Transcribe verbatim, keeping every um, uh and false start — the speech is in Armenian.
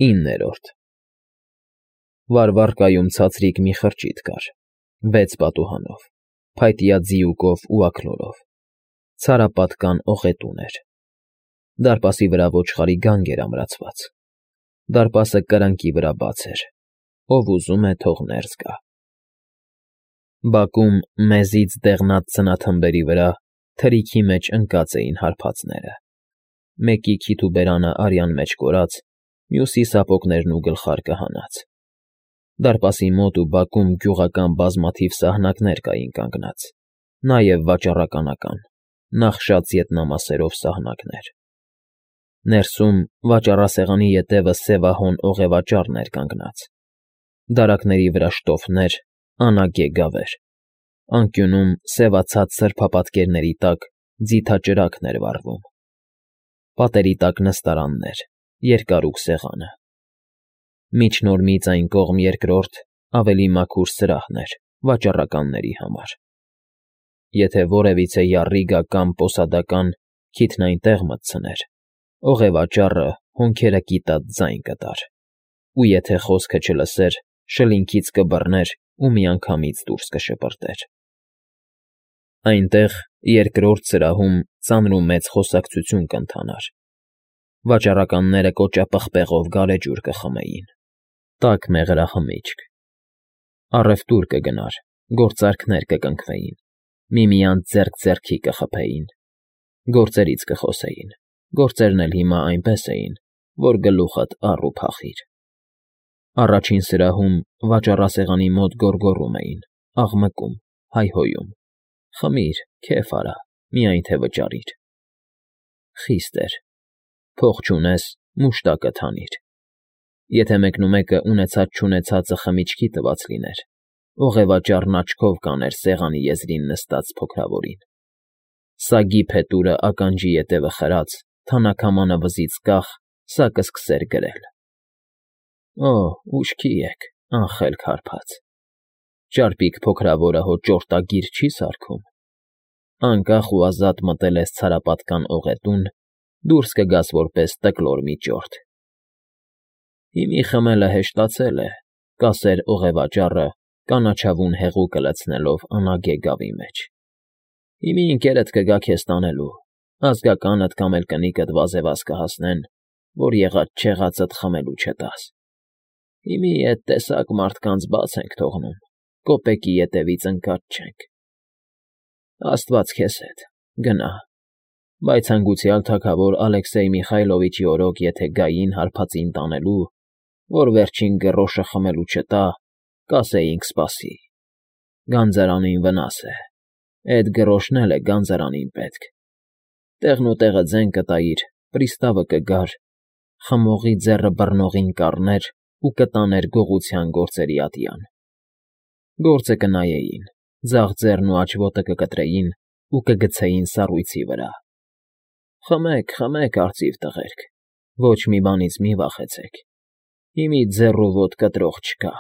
Իններորդ Վարվառկայում ցածրիկ մի խրճիթ կար, վեց պատուհանով, փայտյա ձիուկով ու աքլորով, ցարապատկան օղետուն էր, դարպասի վրա ոչխարի գանգ էր ամրացված, դարպասը կրկնակի վրա բաց էր, ով ուզում է թող ներս գա։ Բակում մեզից դեղնած ծնաթմբերի վրա թրիքի մեջ ընկած էին հարբածները, մեկի քիթ ու բերանը արյան մեջ կորած, մյուսի սապոգներն ու գլխարկը հանած, դարպասի մոտ ու բակում գյուղական բազմաթիվ սահնակներ կային կանգնած, նաև վաճառականական, նախշած ետնամասերով սահնակներ, ներսում վաճառասեղանի ետևը սևահոն օղևաճառն էր կանգնած, դարակների վրա շտոֆներ, անագե գավեր, անկյունում սևացած սրբապատկերների տակ ձիթաճրագն էր վառվում, պատերի տակ նստարաններ, երկարուկ սեղանը, միջնորմից այն կողմ երկրորդ ավելի մաքուր սրահն էր վաճառականների համար, եթե որևիցե յառիգա կամ պոսադական քիթն այնտեղ մտցներ, օղևաճառը հոնքերը կիտած ձայն կտար, ու եթե խոսքը չլսեր, շլինքից կբռներ ու միանգամից դուրս կշպրտեր։ Այնտեղ, երկրորդ սրահում ծանրումեծ խոսակցություն կընթանար, վաճառականները կոճապղպեղով գարեջուր կխմեին, տաք մեղրախմիչք, առևտուր կգնար, գործարքներ կկնքվեին, միմյանց ձեռք ձեռքի կխփեին, գործերից կխոսեին, գործերն էլ հիմա այնպես էին, որ գլուխդ առ ու փախիր։ Առաջին սրահում վաճառասեղանի մոտ գոռգոռում էին, աղմկում, հայհոյում. «Խմիր, քեֆ արա, միայն թե վճարիր»։ Խիստ էր, փող չունես, մուշտակդ հանիր, եթե մեկնումեկը ունեցած֊չունեցածը խմիչքի տված լիներ, օղևաճառն աչքով կաներ սեղանի եզրին նստած փոքրավորին, սագի փետուրը ականջի ետևը խրած, թանաքամանը վզից կախ, սա կսկսեր գրել. «Օ, ուշքի եք, անխելք հարբած, ճարպիկ փոքրավորը հո ճորտագիր չի սարքում, անկախ ու ազատ մտել ես ցարապատկան օղետուն, դուրս կգաս որպես տկլոր մի ճորտ»։ Հիմի խմելը հեշտացել է, կասեր օղևաճառը, կանաչավուն հեղուկը լցնելով անագե գավի մեջ, հիմի ընկերդ կգա քեզ տանելու, ազգականդ կամ էլ կնիկդ վազեվազ կհասնեն, որ եղած֊չեղածդ խմելու չտաս, հիմի էդ տեսակ մարդկանց բաց ենք թողնում, կոպեկի ետևից ընկած չենք։ Աստված քեզ հետ, գնա, բայց հանգուցյալ թագավոր Ալեքսեյ Միխայլովիչի օրոք եթե գային հարբածին տանելու, որ վերջին գռոշը խմելու չտա, կասեինք սպասի, գանձարանին վնաս է, էդ գռոշն էլ է գանձարանին պետք, տեղն ու տեղը ձեն կտայիր, պրիստավը կգար, խմողի ձեռը բռնողին կառներ ու կտաներ գողության գործերի ատյան, գործը կնայեին, ձախ ձեռն ու աջ ոտը կկտրեին ու կգցեին սառույցի վրա։ Խմեք, խմեք, արծիվ տղերք, ոչ մի բանից մի վախեցեք, հիմի ձեռ ու ոտ կտրող չկա։